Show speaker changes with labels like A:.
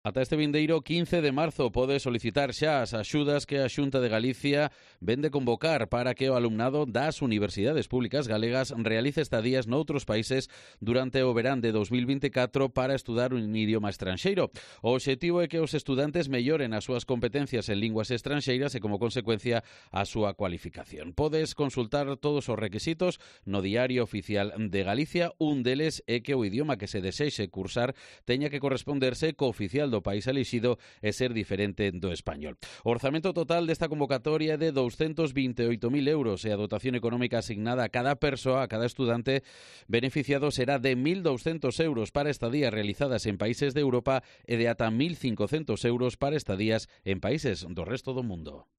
A: Ata este vindeiro 15 de marzo pode solicitar xa as axudas que a Xunta de Galicia vende convocar para que o alumnado das universidades públicas galegas realice estadías noutros países durante o verán de 2024 para estudar un idioma estranxeiro. O obxectivo é que os estudantes melloren as súas competencias en linguas estranxeiras e, como consecuencia, a súa cualificación. Podes consultar todos os requisitos no Diario Oficial de Galicia. Un deles é que o idioma que se desexe cursar teña que corresponderse co oficial do país elixido e ser diferente do español. O orzamento total desta convocatoria é de 228.000 euros e a dotación económica asignada a cada persoa, a cada estudante beneficiado será de 1.200 euros para estadías realizadas en países de Europa e de ata 1.500 euros para estadías en países do resto do mundo.